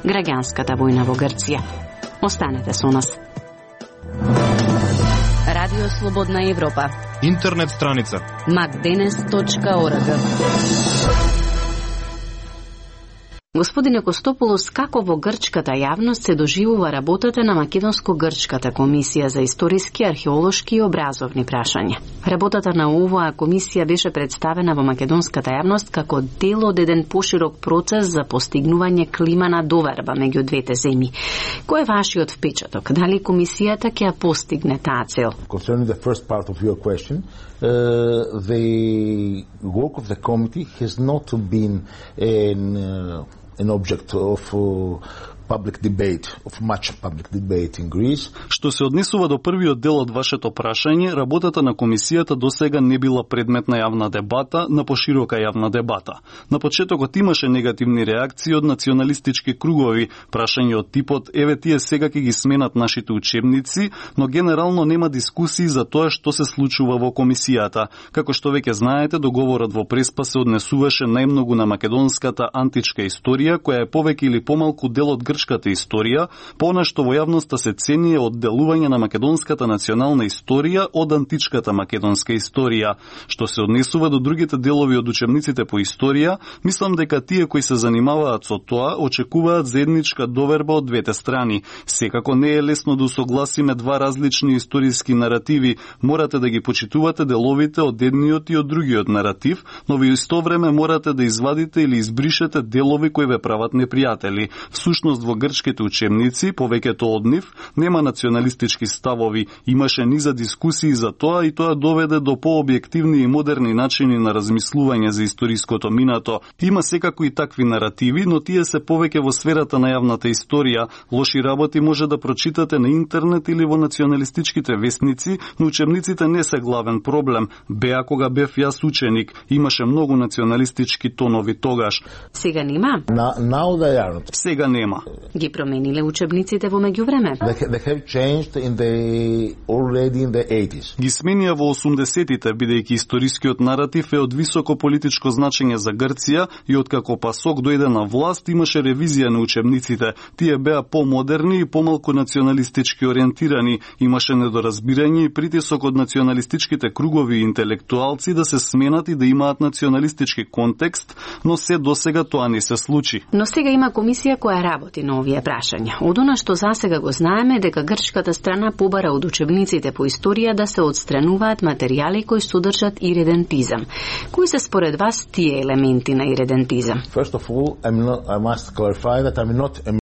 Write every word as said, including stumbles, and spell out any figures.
Граѓанската војна во Грција. Останете со нас. Радио Слободна Европа. Интернет страница макденес точка орг. Господине Костополос, како во грчката јавност се доживува работата на Македонско-грчката комисија за историски, археолошки и образовни прашања? Работата на оваа комисија беше представена во македонската јавност како дел од еден поширок процес за постигнување клима на доверба меѓу двете земји. Кој е вашиот впечаток? Дали комисијата ќе ја постигне таа цел? Concerning the first part of your question, uh, the work of the committee has not been an uh, an object of uh, public debate, of much public debate in Greece. Што се однесува до првиот дел од вашето прашање, работата на комисијата досега не била предмет на јавна дебата, на поширока јавна дебата. На почетокот имаше негативни реакции од националистички кругови, прашање од типот еве тие сега ќе ги сменат нашите учебници, но генерално нема дискусии за тоа што се случува во комисијата. Како што веќе знаете, договорот во Преспа се однесуваше најмногу на македонската античка историја, која е повеќе или помалку дел од грчката историја, понешто во јавноста се цени е одделување на македонската национална историја од античката македонска историја. Што се однесува до другите делови од учебниците по историја, мислам дека тие кои се занимаваат со тоа очекуваат заедничка доверба од двете страни. Секако не е лесно да усогласиме два различни историски наративи, морате да ги почитувате деловите од едниот и од другиот наратив, но во исто време морате да извадите или избришете делови кои ве прават непријатели. Всушност во грчките учебници, повеќето од нив, нема националистички ставови, имаше низа дискусии за тоа и тоа доведе до пообјективни и модерни начини на размислување за историското минато. Има секако и такви наративи, но тие се повеќе во сферата на јавната историја. Лоши работи може да прочитате на интернет или во националистичките весници, но учебниците не се главен проблем. Беа кога бев јас ученик, имаше многу националистички тонови тогаш. Сега нема? Now, now they aren't. Сега нема. Ги промениле учебниците во меѓувреме? They, they have changed in the, already in the eighties. Ги сменија во осумдесетите, бидејќи историскиот наратив е од високо политичко значење за Грција и откако Пасок дојде на власт, имаше ревизија на учебниците. Тие беа помодерни и помалку националистички ориентирани. Имаше недоразбирање и притисок од националистичките кругови и интелектуалци да се сменат и да имаат националистички контекст, но се досега тоа не се случи. Но сега има комисија која работи на овие прашања. Од она што засега го знаеме дека грчката страна побара од учебниците по историја да се отстрануваат материјали кои содржат иредентизам. Кои се според вас тие елементи на иредентизам? First of all, I'm not, I must clarify that I'm not a